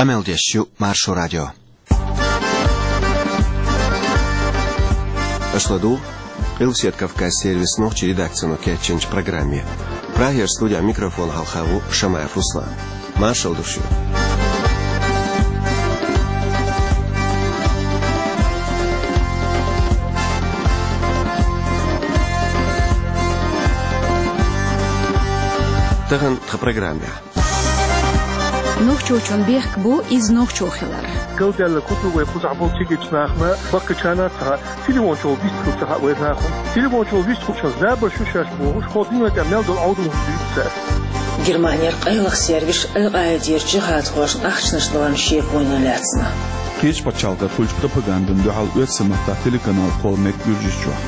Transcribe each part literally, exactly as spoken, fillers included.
Къамел деш ю Маршо радио. Аша ладугӀу Къилбаседа Кавказан сервисан нохчийн редакцино кечйинчу программе. Прагера студехь микрофон хьалха ву Шамаев Руслан. Маршалла ду шуьга. Тахана тхан программехь. Нохчочун бехк бу иза нохчо хилар. Галдаьлла куту вай кхузахь болу цигачу нахана, баккхачарна а ца хаьа, телефон чохь вистхуьлу ца хаьа вай нахана. Телефон чохь вистхуьлучунна забар шу шаьш бохуш, хьо дуьнен тӀехь мел долу Ӏовдал хӀума дуьйцу цара. Германера къайлаха сервис Аль-Къаидера джихӀадхошна ахчанаш даларна шеко йина лаьцна. Кхечу пачхьалкхера хуьлучу пропагандана дуьхьал оьрсийн маттахь телеканал кхолла мега Гуьржийчохь.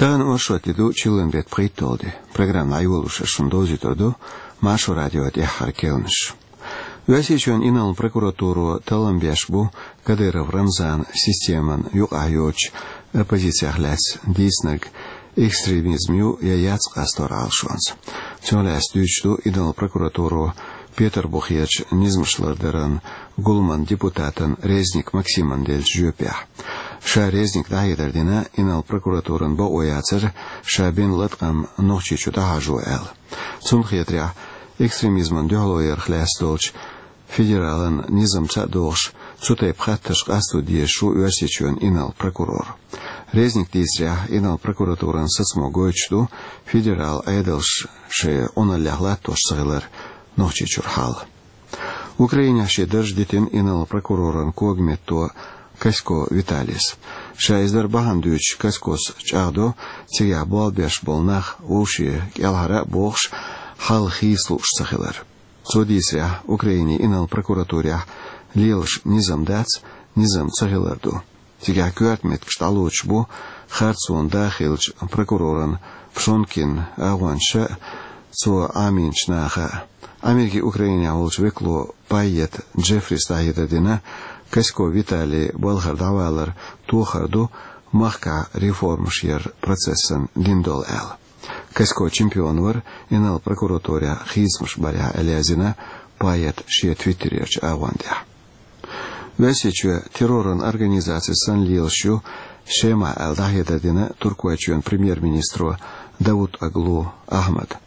Тахана оршот де ду, чиллан беттан пхийтталгӀа де. Программа дӀайолош аса шуна довзуьйтур ду Маршо радион тӀаьххьара керланаш. Оьрсийчоьнан инарла прокуратуро таллам беш бу Кадыров Рамзанан системан юкъахь йоцучу оппозицех лаьцна дийцинарг экстремизм ю я яц къастор Ӏалашонца. Цунах лаьцна дуьйцуш ду инарла прокуратуро Петарбухерчу низамаш лардаран гуламан депутатана Резник Максимана деллачу жоьпехь. Ша, Резника, дӀахьедар дина, инарла прокуратуран бакъо яцара ша бина латкъам Нохчийчу дӀахьажо аьлла. Цунна хетарехь, экстремизмана дуьхьало ярх лаьцна долчу федералан низамца а догӀуш, цу тайпа хаттарш къасто дезаш ву Оьрсийчоьнан инарла прокурор. Резника дийцарехь, инарла прокуратуран сацамо гойтуш ду федералан Ӏедалш шайн Ӏуналлех латтош ца хилар Нохчийчуьра хьал. Украинехь шен дарж дитина инарла прокуроран когаметто Касько Виталис. Ша иза дар бахьана дуьйцуш, Каськос чӀагӀдо, цигахь болх беш болу нах вовшийн кӀелхьара а бохуш, хьал хийца лууш ца хилар. Цо дийцарехь, Украинин инарла прокуратурехь лелаш низам дац, низам ца хилар ду. Цигахь коьрта меттигаш дӀалоцуш бу харцонан да хиллачу прокуроран Пшонкин агӀончаша а, цо Ӏамийначу наха а. Америкин Украинехь волчу векало Пайет Джеффрис дӀахьедар дина, Касько Виталин балхара дӀавалар тохар ду махкахь реформаш яран процессан дина долу аьлла. Касько чемпион вара инарла прокуратурехь хийцамаш барехь, аьлла яздина Пайет шен твиттерерчу агӀон тӀехь. Оьрсийчоь терроран организаци санна лелаш ю Шема аьлла дӀахьедар дина Туркойчоьнан премьер-министро Давутоглу Ахьмада.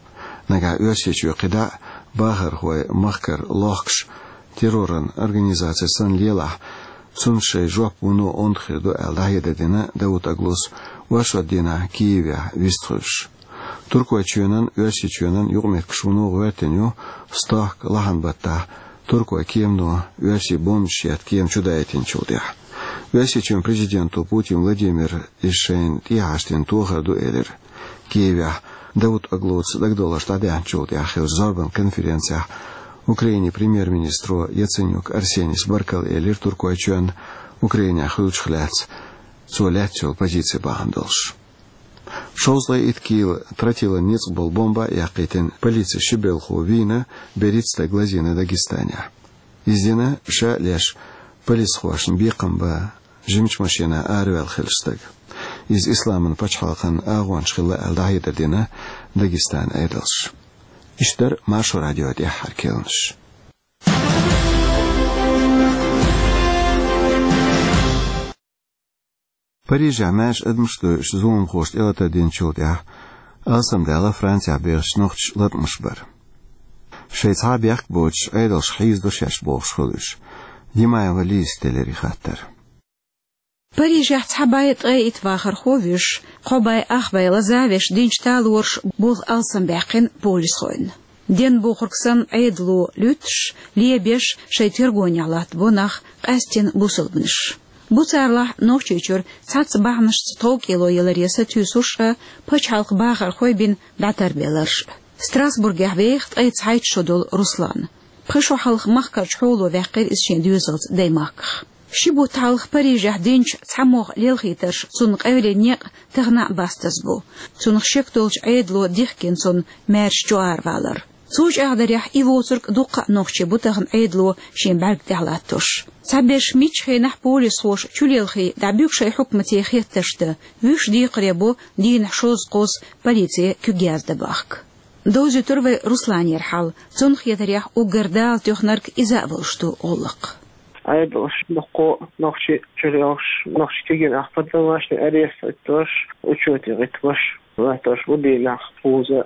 Нагахь Оьрсийчоь кхидӀа а бахархой махкара лохкуш терроран организаци санна лелахь, цунна шайн жоп вуно онда хир ду аьлла дӀахьедар дина Давутоглус оршот дийнахь Киевехь вистхуьлуш. Туркойчоьнан, Оьрсийчоьнан юкъаметтигаш вуно гӀоьртина ю стохка лахьан баттахь туркойн кемано оьрсийн бомбанаш етта кема чудайтинчул тӀаьхьа. Оьрсийчоьнан президенто Путин Владимира иза шайна тӀехьашдина тохар ду элира. Киевехь Давутоглуца дагадовларш дӀадаьхначул тӀаьхьа хиллачу зорбан конференцехь Украинин премьер-министро Яценюк Арсенис баркалла элира Туркойчоьнна Украинехь хуьлучух лаьцна цо лаьцна йолу позици бахьана долуш. Шовзткъе итт кила тротилан ницкъ болу бомба а яккхийтина полицин ши белхо вийна, берхӀитта стаг лазийна Дагестанехь. Иза дина ша а леш полисхошна бекхам бан жимачу машенахь араваьлла хиллачу стага. Иза Исламан пачхьалкхан агӀонча хилла аьлла дӀахьедар дина Дагестанан Ӏедалша. Иштта дара Маршо радион тӀаьххьара керланаш. Парижехь маьрша адамаш а дойуш, зуламхоша тӀелатар динчул тӀаьхьа алсамдаьлла Францехь бехачу нохчаша латкъамаш бар. Шайн цхьа а бехк боцуш, Ӏедалш хьийзадо шаьш бохуш хуьлу уьш. Димаева Лизас телира и хаттар. Парижехь цхьа бӀе ткъе итт вахархо вуьйш, кхо бӀе ах бӀе лазавеш динчу талорша болх алсамбаьккхина полисхойн. Денна бохург санна, Ӏедало луьттуш, лебеш, шайн тергонехь латтабо нах, къаьсттина бусалбанаш. Бу царлахь Нохчийчуьра цхьацца бахьанашца тховкӀело яларе сатуьйсурш а, пачхьалкхан бахархой бина дӀатарбелларш а. Страсбургехь веха ткъе цхьайтта шо долу Руслан. Пхи шо хьалха махкарчу хьоло ваьккхира иза шен доьзалца Даймахках. Ши бутт хьалха Парижехь динчу цхьамогӀа лелхийтарша цунна къевлина некъ тахана а бастаза бу. Цунах шек долчу Ӏедало дихкина цунна маьрша чуаравалар. Цу чӀагӀдарехь, и воцург дуккха а нохчий бу тахана Ӏедало шен бӀаьрг тӀехь латтош. Цхьаберш мичча хенахь полисхоша чулелхий дӀабуьгу шайн хьукмате хеттарш дан, вуьш декхаре бу дийнахь шовзткъе кхузткъа полице куьг яздан бахка. Довзуьйтур вай Русланера хьал, цунна хетарехь, уггар Дала тоьхнарг иза а волуш ду гӀуллакх. Ӏедалш дуккха нохчий чулелхаш, нохчий кегийнах поддавашный арест хӀиттош, учёте гӀиттош, латтош бу дийнахь кхузткъа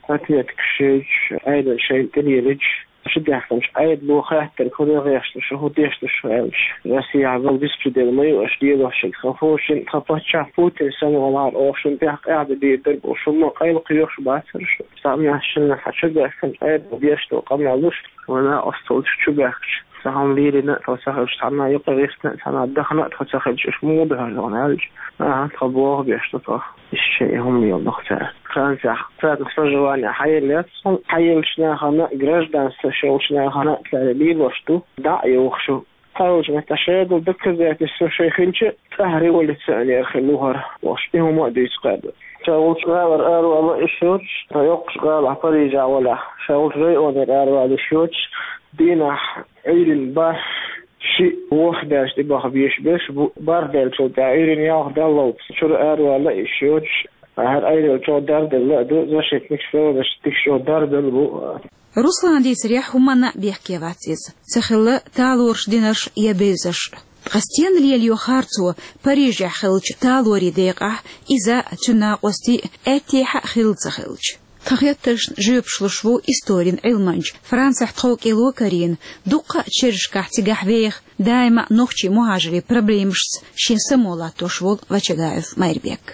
отметкаш йойтуш, Ӏедал шайна тӀелелийча, ши даьхкинчу Ӏедало хаттар хӀун дагӀешташ, хӀун дешташ аьлча, Россияхь бала беспредел ма ю аша лелош шуьга, хан фу шин тхан паччахь Путин санна валахьара, оха шун тӀехь къаьхьа дийр дара бу, шун ма къайлакхоьхуш бацара шу. Цхьа мехь шинна хьан чу баьхкинчу Ӏедало деш долу къамел луш, вайн осталчу чу баьхкича, цхьа хӀума лерина тхо ца хилча, цхьанна юкъа гӀиртина, цхьанна дахана тхо ца хилча, уьш муха дахар дохна аьлча, аха, тхо боху беш ду тхо. Иштта шайн хӀума йолу ду цара. Францехь царна проживание хьаеллац, хьаеллачу нахана, гражданство шолчу нахана цара лелош ду, дӀа а йохуш ю. Цхьайолчу меттехь шайгара доказательство шайн хилча, цӀахь революционер хилла ву хӀара, бохуш, и хӀума а дуьйцу кхаьбна. Ша волчу гӀалара аравала йиш йоцуш, ша йоккхачу гӀалахь Парижехь валахь, ша волчу районера аравала йиш йоцуш, дийнахь Ӏуьйранна бархӀ, шиъ, ворхӀ даьлча тӀебаха беш берш бу, бархӀ даьллачул тӀаьхьа Ӏуьйранна ялх даллалц чуьра аравала йиш йоцуш, ахьар айрел чӀогӀа дарделла а ду, защитник сторож тикшо дарделла бу. Руслан дийцарехь, хӀуманна а бехке вац иза. Ца хилла талораш динарш я бевзарш. Ткъа стенна лелайо харцо Парижехь хиллачу талорийн декъахь, иза а, цуьнан накъостий а аьттехьа а хилла ца хилча? Тхан хеттаршна жоьпаш луш ву историн Ӏилманча, Францехь тховкӀело карийна, дуккха а чержашкахь цигахь веха, даима а нохчийн мухӀажирийн проблемашца шен само латтош волу Вачагаев Майрбек.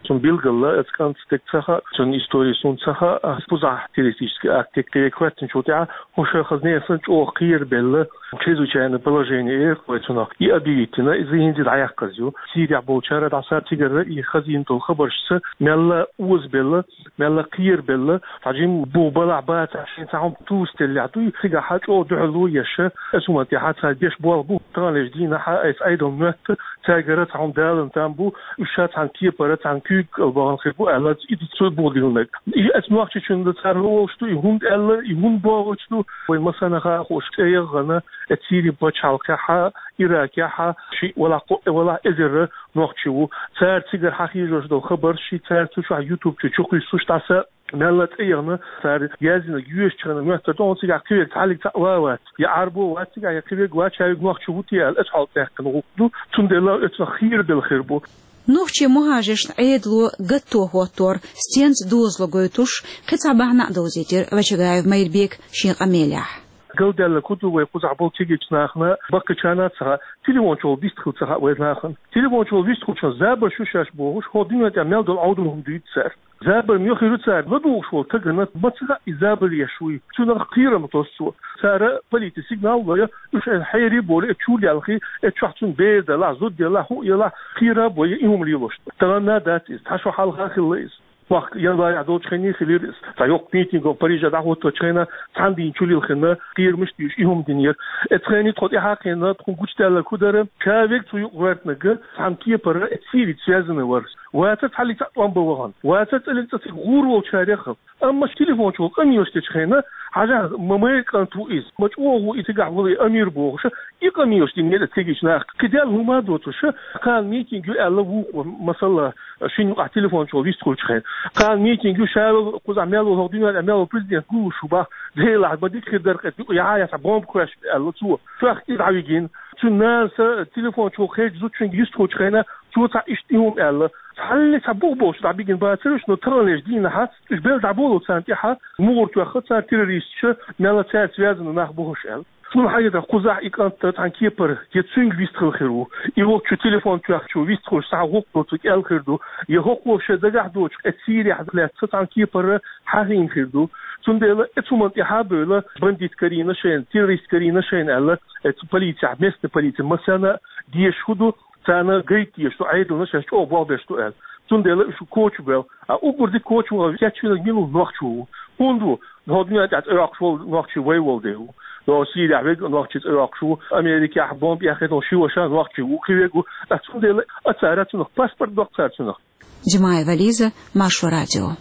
Цунна билггала, оцу кӀанта стаг ца хаьа, цуьнан истори суна ца хаьа, ас кхузахь террористический акт кхиъ хӀоьттинчул тӀаьхьа, хӀун ша хаза несан чӀогӀа кхерабелла, чрезвычайное положение эр вай цунах, и объявить йина, иза хӀинца дӀаяьккхаза ю. Сирехь болчара дӀаса цигара и хазийна долу хабаршца мелла озабелла, мелла кхерабелла, цхьа жимма бух балахь бацахь, шен цхьа хӀума тӀе тувсаделлехь дуй, цигахь чӀогӀа дуьхьало еш, оцу хӀуманна тӀехь цара деш болх бу, таханлерчу дийнахь а, айса Ӏедалан моьтту, цаьргара цхьа хӀума далан там бу, уьш ша цхьана кепара, цхьана куьйга кӀал бахана хир бу аьлла, и ду цо бух диллинарг. И оцу нохчичунна цара вовшах ду, и хӀунда аьлла, и хӀунда бохуш ду, вайн массарна а хууш, тӀеяххана, оцу Сирин пачхьалкхехь а, Иракехь а, шиъ валахь, кхоъ валахь, эзар нохчи ву. Цара цигара хьахьежош долу хабарш, ши цара цу чохь YouTube чу чукхуьссуш дӀаса, мелла а тӀеяхна, цара яздинарг йоьшучу хенахь моьттур ду, хьуна цигахь кхин верг цхьаллиг цхьаъ ван а вац, я Ӏарбо а вац цигахь, я кхин верг вац, ша верг нохчи ву те аьлла, оцу хьоле даьккхина гӀуллакх ду, цундела оцунах кхерабелла хир бу. Нохчийн мухӀажиршна Ӏедало гатто хӀоттор стенца дозало гойтуш, кхин цхьа бахьана а довзийтира Вачагаев Майрбека шен къамелехь. Галдаьлларг хӀун ду, вай кхузахь болу кегийчу нахана, баккхийчарна а ца хаьа, телефон чухула вистхила ца хаьа вай нахана. Телефон чухула вистхуьлчахь забарш ю шаьш бохуш, хӀокху дуьнен тӀехь мел долу Ӏовдал хӀума дуьйцу цара. Забар муьлха хир ю цара, ладугӀуш волу стагана ма ца хаьа и забар еш вуй. Цунах кхерам тосу цо. Цара полице сигнал а ло, уьш хьерий а болий, чуьра ялхий, оцу чохь цунна бер далахь, зуда ялахь, хӀуъа ялахь, кхера а бой, и хӀума лелош. Тахана а дац иза, цхьа шо хьалха а хилла иза. Махка январехь долчу хенахь хилира иза. Цхьа йоккха митинг Парижехь дӀахӀотточу хенахь, цхьана дийнахь чулилхина, кхерамаш а дуьйцуш, и хӀума динера. Оцу хенахь тхо тӀаьхьа а кхиъна, тхуна гучудаьлларг хӀун дара, ша верг цу юкъа гӀоьртинарг цхьана кепара оцу Сирийца связанный вара. Вацара цхьаллиг цхьаъ тӀом бан вахана. Вацара цӀаллиг цӀа цига гӀур волчарех а. Амма телефон чухула къамелаш дечу хенахь, хьажахь, ма майра кӀант ву иза, ма чӀогӀа ву и, цигахь волу и Амир бохуш, и къамелаш динера оцу кегийчу наха. Кхин Далла хӀума а доцуш, кхана митинг ю аьлла вукхо, масала, шина юкъахь телефон чухула вистхуьлучу хенахь. Кхана митинг ю, ша волу кхузахь мел волу, хӀокху дуьнен тӀехь мел волу президент гуллуш ву бах, Делахь, ма дика хир дара-кх, юкъа яхьа яц бомба кхоьссича аьлла цо. Чохь и дӀавигина. Цуьнан нанас телефон чухула кхечу зудчуьнга йистхуьлучу хенахь, цо цхьа иштта и хӀума аьлла. Цхьаллиг цхьа бух болуш дӀабигина бацара уьш, но таханлерчу дийнахь уьш белла дӀаболу царна тӀехь, мугӀара тоьхна цара террористаш, мелла цаьрца связанный нах бу хӀорш аьлла. Суна хьаьжира, кхузахь и кӀант цхьана кепара, я цуьнга вистхила хир ву, я воккхачу телефон тоьхначо вистхуьлуш цхьа гӀуллакх доцург аьлла хир ду, я хӀокхо шен дагахь доцуш, оцу Сирехь лаьцна цхьана кепара хьахийна хир ду. Цундела оцу хӀуманна тӀаьхьа а бевлла, бандит карийна шайна, террорист карийна шайна аьлла, оцу полицехь, местный полици массарна а дезаш хӀун ду, царна гайта дезаш ду, Ӏедална шаьш чӀогӀа болх беш ду аьлла. Цундела уьш коча бевлла. А уггар дика коча ваха кечвинарг мила ву? Нохчо ву. ХӀунда ву? ХӀокху дуьнен тӀехь цӀе йоккхуш волу нохчи вай волу дела ву. Нохчо Сирехь верг а нохчи цӀе йоккхуш ву, Америкехь бомба яххе долу ши ваша нохчи ву, кхин верг ву. Ткъа цундела а цара цунах паспорт доккху цара цунах. Димаева Лиза, Маршо радио.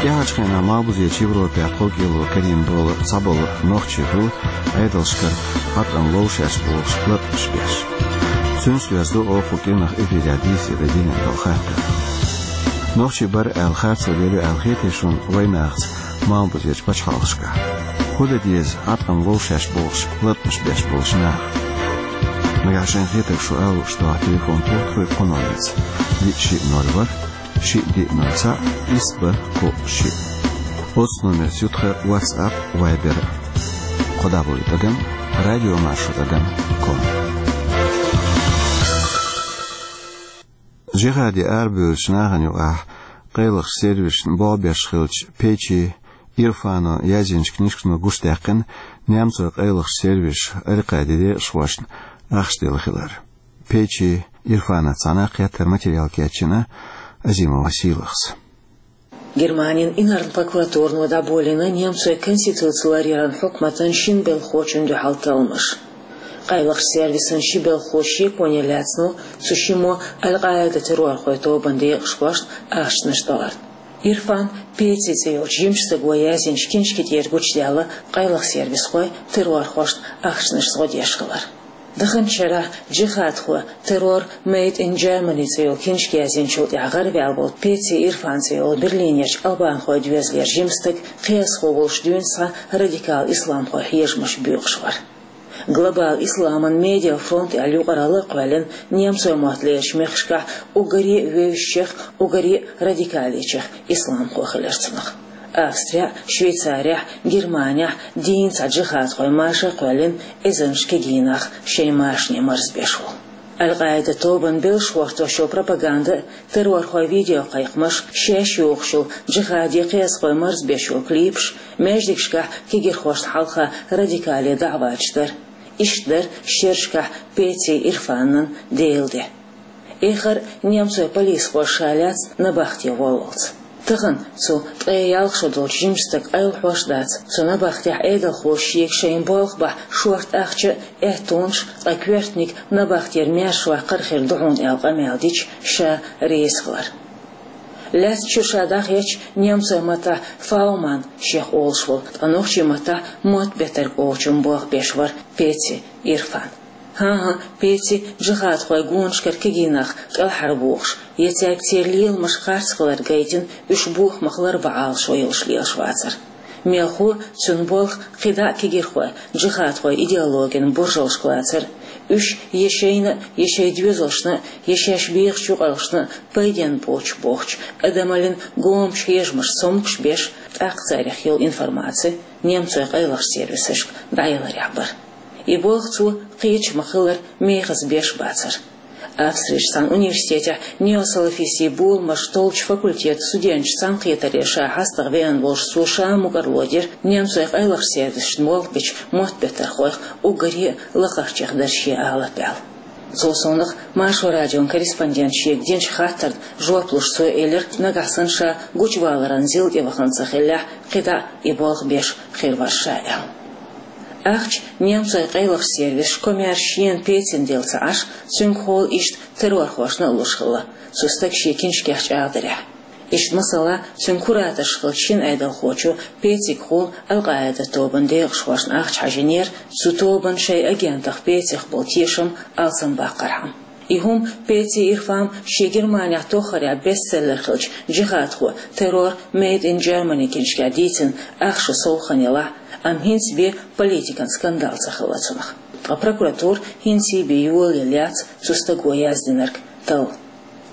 ТӀехьарчу хенахь Малхбузерчу Европехь тхов кӀело карийна болу цхьаболу нохчий хуьлу Ӏедалшкара Ӏаткъам ловшеш бохуш латкъаш беш. Цуьнца доьзна ду оха кху кӀиранах эфирехь дийцаре динан долу хаттар. Нохчий бара аьлла харцо лелла аьлла хетий шуна вайнахаца Малхбузерчу пачхьалкхашкахь? ХӀун дан деза Ӏаткъам ловшеш бохуш латкъаш беш болчу наха? Нагахь шайн хетарг шу ала лууш дохьа телефон туххуьйту кху номерца: диъ шиъ ноль ворхӀ, шиъ диъ ноль цхьаъ, исс бархӀ кхоъ шиъ. Оцу номерца ю тхан WhatsApp, Viber. Кхо дабл-ю тӀадам радиомаршо тӀадам ком. Джихаде арабевллачу нахана юкъахь къайлахчу сервисашна болх беш хиллачу Петти Ирфано язйинчу книжкано гучудаьккхина немцойн къайлахчу сервисаша Аль-Къаидин декъашхошна ахча делла хилар. Петти Ирфанах цхьаьна кхеттара материал кечйина Азимова Сийлахьас. Германин инарла прокуратурано дӀаболийна немцойн конституци ларъяран хьукматан шина белхахочунна дуьхьал талламаш. Къайлахчу сервисан ши белхахочун шеконе лаьцна цу шиммо Аль-Къаида террорхойн тобанан декъашхошна ахчанаш тӀелар. Ирфан Петти цӀе йолчу жимачу стага язйинчу книжки тӀера гучудаьлла къайлаха сервисхой террорхошна ахчанаш зӀо деш хилар. Даханчу шарахь «Джихадхой. Террор Made in Germany» цӀе йолу книжка язйинчул тӀаьхьа гӀараваьлла волу Петти Ирфан цӀе йолу Берлинерчу албанхойн доьзалера жима стаг кхиазхо волуш дуьйна схьа радикал исламхойн хьежамаш боькъуш вара. Глобал исламан медиа фронт аьлла юкъаралла а кхоьллина немцойн мотт лерачу мехкашкахь уггаре а вевзачех, уггаре а радикалечех исламхо хилира цунах. Австрехь, Швейцарехь, Германехь дийна цхьа джихадхойн марша а кхоьллина эзарнаш кегий нах шайн машане марзбеш волу. Аль-Къаида тобанан белшаш гӀортош йолу пропаганда а, террорхойн видеокхайкхамаш а, шаьш йохуш йолу джихаде кхиазхой марзбеш йолу клипаш а, маьждигашкахь кегийрхошна хьалха радикале даӀваташ дар а. Иштта дара шерашкахь Петти Ирфанан Делан де. Эххар а немцойн полисхоша ша лаьцна набахте воллалц. Тахана цу ткъе ялх шо долчу жимачу стага къайлахьош а дац, цу набахтехь Ӏедалхоша шега шайн болх бахь шорта ахча а, аьттонаш а, ткъа коьртаниг набахтера маьршаваккхар а хир ду хьуна аьлла къамел дича, ша реза хилар. Лаьцначуьра ша дӀахецча, немцойн маттахь Фауман шех олуш волу, ткъа нохчийн маттахь мотт беттарг олучун болх беш вара Петти Ирфан. ХӀан-хӀа, Петти джихадхойн гонашкара кегий нах кӀелхьарбохуш, я цаьрга церан леламаш харц хилар гайтина, уьш бохамах ларбан Ӏалашо йолуш лелаш вацара. Мелхо а, цуьнан болх а кхидӀа а кегийрхойн, джихадхойн идеологин буржалшка лацар а, уьш я шайна а, я шайн доьзалшна а, я шаьш бехачу юкъараллашна а пайденна боцуш бохучу, адамаллин гомачу хьежамашца цомгуш беш, тӀаккха царех йолу информаци немцойн къайлахчу сервисашка дӀаяларехь бара. И болх цо кхечу ма-хиллара мехаза беш бацара. Австрерчу цхьана университетехь неосалафистийн боламаш толлучу факультетан студенташца цхьаьнакхетаре ша хьастагӀа веана волуш цо ша мукӀарло дира немцойн къайлахчу сервисашна болх бечу мотт беттархойх уггаре а лакхарчех дара шен алапа аьлла. Цул совнаха Маршо радион корреспондента шега динчу хаттарна жоп луш цо элира, нагахь санна ша гучуваларан зил тӀе вахана ца хиллехь, кхидӀа а и болх беш хир вара ша аьлла. Ахча немцойн къайлахчу сервисаша комаьрша шена Петтина делла ца Ӏаш, цуьнгахула иштта террорхошна а луш хилла, цу стага шен киншкех чӀагӀдарехь. Иштта масала, цуьнан кураторш хиллачу шина Ӏедалхочо Петтигахула Аль-Къаида тобанан декъашхошна ахча хьажийнера, цу тобанан шайн агентах Петтех болу тешам алсамбаккхархьама. И хӀума Петти Ирфан шен Германехь тоххарехь бестселлер хиллачу «Джихадхой. Террор Made in Germany» киншкехь дийцина ах шо сов хан елахь а, амма хӀинца бен политикан скандал ца хилла цунах. Ткъа прокуратура хӀинций бен йолаелла яц цу стага яздинарг талла.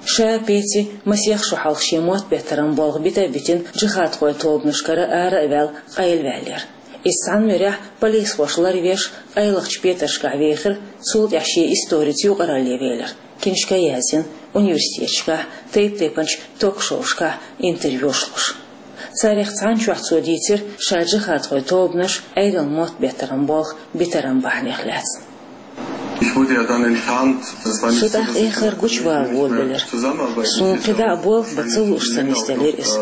Ша Петти масех шо хьалха шен мотт беттаран болх бита а битина, джихадхойн тобанашкара ара а ваьлла, къайлаваьллера. Иза цхьана муьрехь полисхоша ларвеш, къайлахчу петаршкахь вехира, цул тӀаьхьа шен историца юкъаралле велира, киншка а язйина, университеташкахь, тайп-тайпанчу ток-шоушкахь интервьюш луш. Царех цхьана чохь цо дийцира ша джихадхойн тобанаш, Ӏедалан мотт беттаран болх битаран бахьанех лаьцна. Шу тӀаккха эххар гучувала волавелира. Суна кхидӀа а болх бан ца лууш ца нисделира иза.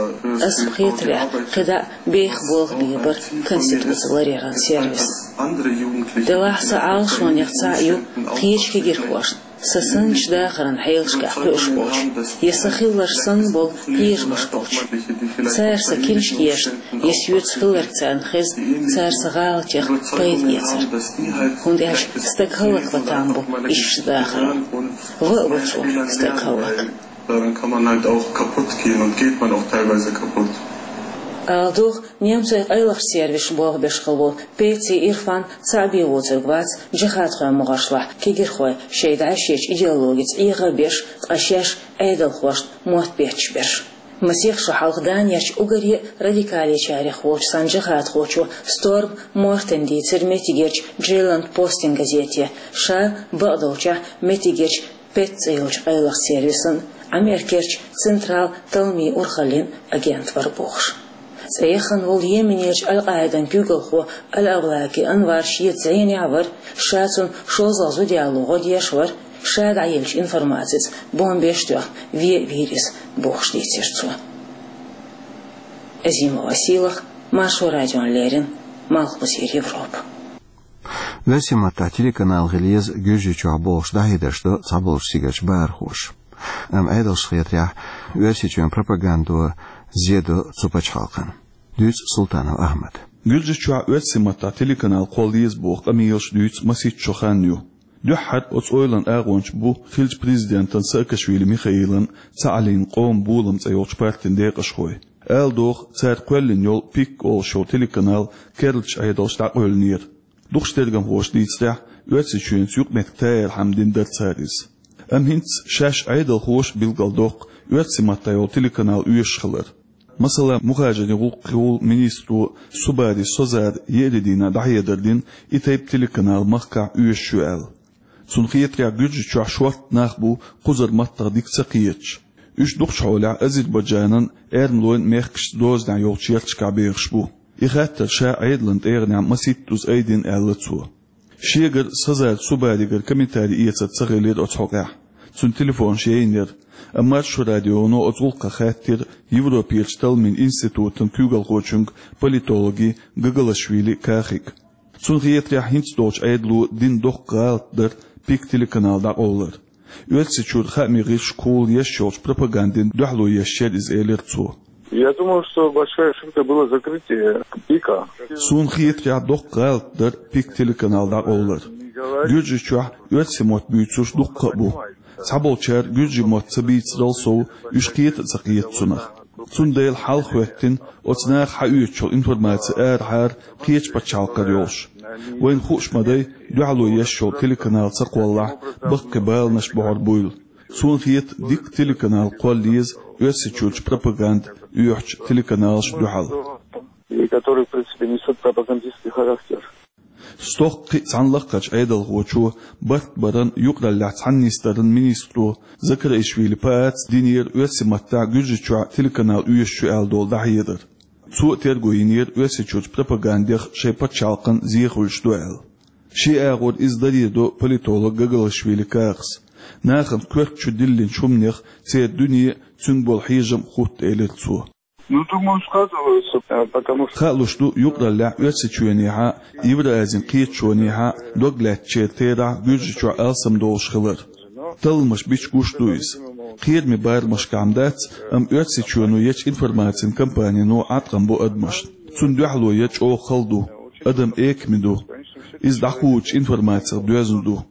Ас-м хетарехь, кхидӀа а беха болх бийр бара конституци ларъяран сервисна. Делахь сан Ӏалашонех цхьаъ ю кхечу кегийрхошна, Са санначу дахаран хьелашкахь кхуьуш болчу, я сан хилларш санна болу хьежамаш болчу. Цара сан книшкешна, я соьца хилларг царна хезна, цара сан гӀалатех пайда эцар. ХӀунда аьлча стаг хӀаллакван там бу иштта дахаран. ВаӀа ву цо стаг хӀаллак. Daran kann man halt auch kaputt gehen und geht man auch teilweise kaputt. Ала догӀу, немцойн къайлахчу сервисаша болх беш хилла волу Пеци Ирфан цхьаъ бен воцург вац джихӀадхойн могӀаршлахь кегирхой шайн дӀаьшечу идеологица Ӏеха а беш, ткъа шаьш Ӏедалхошна мотт бетташ берш. Масех шо хьалха Данерчу уггаре а радикалечарех волчу цхьана джихӀадхочо Сторм Мортен дийцира меттигерчу Джейланд Постин газете, ша бакъдолчехь меттигерчу Пеци цӀе йолчу къайлахчу сервисан, Америкерчу Централ талламийн урхаллин агентан вара бохуш. ЦӀе яхана волу Йеменерчу Аль-Къаидан куьйгалхо Аль-Авлаки Анвар шеца зӀенехь а вара, ша цунна шозлагӀа зуда яло гӀо деш а вара, ша дӀаеллачу информацица бомбеш а тоьхна вен а вийра иза, бохуш дийцира цо. Азимова Сийлаха, Маршо радиона леррина, Малхбузера Европа. Оьрсийн маттахь телеканал хила еза Гуьржийчохь бохуш дӀахьедарш до цхьаболчу стигалчу бахархоша. Амма Ӏедалшна хетарехь, Оьрсийчоьнан пропагандо зе до цу пачхьалкхана. Дуьйцу Султанов Ахьмада. Гуьржийчохь оьрсийн маттахь телеканал кхолла еза боху къамелаш дуьйцу масийтта шо хан ю. Дуьххьара оцу ойлан агӀончаш бу хиллачу президентан Саакашвили Михаилан, Цхьааллин Къоман болам цӀе йолчу партин декъашхой. Ала догӀу, цара кхоьллина йолу ПИК олуш йолу телеканал керлачу Ӏедалша дӀакъевлинера. Дукхачу тергамхоша дийцарехь, Оьрсийчоьнца юкъаметтиг таярхьама дина дара цара иза. Амма хӀинца шаьш Ӏедалхоша билгалдоккху оьрсийн маттахь йолу телеканал оьшуш хилар. Масала, мухӀажарийн гӀуллакхийн министро Субари Созара еарин дийнахь дӀахьедар дина и тайпа телеканал махкахь оьшуш ю аьлла. Цунна хетарехь, Гуьржийчохь шортта нах бу кхузара маттах дика ца кхеташ. Уьш дукхачу хьолехь Азербайджанан, эрмалойн мехкашца дозанехь йолчу ярташкахь бехаш бу. И хаттар ша Ӏедалан тӀегӀанехь масийттаза айдина, аьлла цо. Шегара Созара Субаригара комментари эцар ца хилира оцу хьокъехь. Цуьнан телефонаш яйнера, амма Маршо радионо оцу гӀуллакхах хаьттира Европерчу талламийн институтан куьйгалхочуьнга, политологе Гагалашвили Кахига. Цунна хетарехь, хӀинца долчу Ӏедало дина доккха гӀалат дара ПИК телеканал дӀакъовлар. Оьрсийчуьра хаамийн гӀирсашкахула еш йолчу пропагандина дуьхьало еш яра иза, элира цо. Я думаю, что большая ошибка было закрытие ПИКа. Суна хетарехь, доккха гӀалат дара ПИК телеканал дӀакъовлар. Гуьржийчохь оьрсийн мотт буьйцурш дуккха а бу. Цхьаболчара гуьржийн мотт ца бийцарал сов, уьш кхета а ца кхета цунах. Цундела хьалха хӀоьттина оцу наха хьаоьцуш йолу информаци арахьара кхечу пачхьалкхара йолуш. Вайна хууш ма дай, дуьхьало еш йолу телеканал ца кхоллахь, баккхий баланаш бохьур буйла. Суна хета, дика телеканал кхолла еза Оьрсийчуьрчу пропаганда оьхучу телеканалашна дуьхьал. И которые, в принципе, несут пропагандистский характер. Стохка кхин а цхьана лакхарчу Ӏедалхочо, барт баран, юкъараллехь цхьаьнатдаран министро Закараишвили Пааца динера оьрсийн маттахь Гуьржийчохь телеканал оьшуш ю аьлла долу дӀахьедар. Цо а терго йинера Оьрсийчуьрчу пропагандех шайн пачхьалкхана зе хуьлуш ду аьлла. Шен агӀор иза даре до политолог Гагалашвили Кахас. Нахана коьрта чу диллинчу хӀуманех церан дуьне а, цуьнга болу хьежам а хутта, элира цо. Ну, думаю, сказывается, э, потому что Хаалуш ду, юкъараллехь Оьрсийчоьнехьа, Евразин кхеташонехьа дог лаьцначеран терахь Гуьржийчохь алсам долуш хилар. Талламаш бича гуш ду иза. Кхераме барамашкахь-м дац, амма Оьрсийчоьно ечу информацин кампанино Ӏаткъам бо адамашна. Цунна дуьхьало ян чӀогӀа хала ду. Адам экаме ду. Иза дӀакхочучу информацех доьзна ду.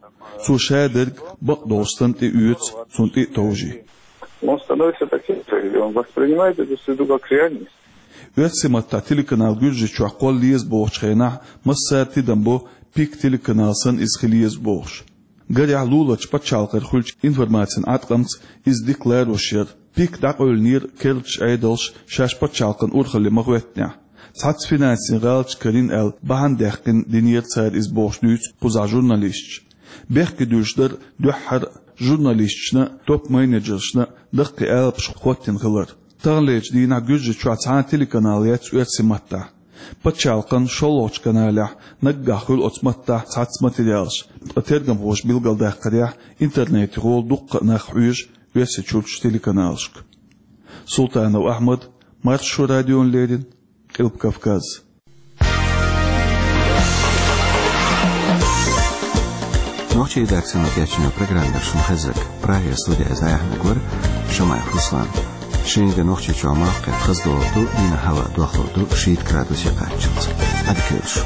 Цо шадерг бакъдолчу санна тӀеоьцу, цунна тӀе а товжий. Он становится таким, что он воспринимает эту среду как реальность. Оьрсийн маттахь телеканал Гуьржийчохь кхолла еза бохучу хенахь массара тидам бо ПИК телеканал санна иза хила еза бохуш. Гарехь, луларчу пачхьалкхера хуьлучу информацин Ӏаткъамца иза дика лоруш яра. ПИК дӀакъевлинера керлачу Ӏедалша шаьш пачхьалкхан урхалле ма хӀоьттинехь. Цхьацца финансийн гӀалаташ карийна аьлла, бахьана даьккхина динера цара иза бохуш дуьйцу кхузахь журналисташа. Бехке дуьллуш дара дуьххьара журналисташна, топ-менеджершна даккхий алапаш хӀоттийна хилар. Таханлерчу дийнахь Гуьржийчохь цхьа а телеканал яц оьрсийн маттахь. Пачхьалкхан шолгӀачу каналехь наггахь хуьлу оцу маттахь цхьацца материалаш, ткъа тергамхоша билгалдаккхарехь, интернетехула дуккха а нах хьоьжу Оьрсийчуьрчу телеканалашка. Султанов Ахьмад, Маршо радиона леррина, Къилба Кавказ. Нохчийн редакцино кечйина программа яра шун хезаг. Прагера студера зӀамига вар Шамаев Руслан. Шинга Нохчийчохь малх кхетта хаза долур ду, дийнахь хӀаваъ дохлур ду шийтта градусе кхаччалц. Ӏадика йойла шун.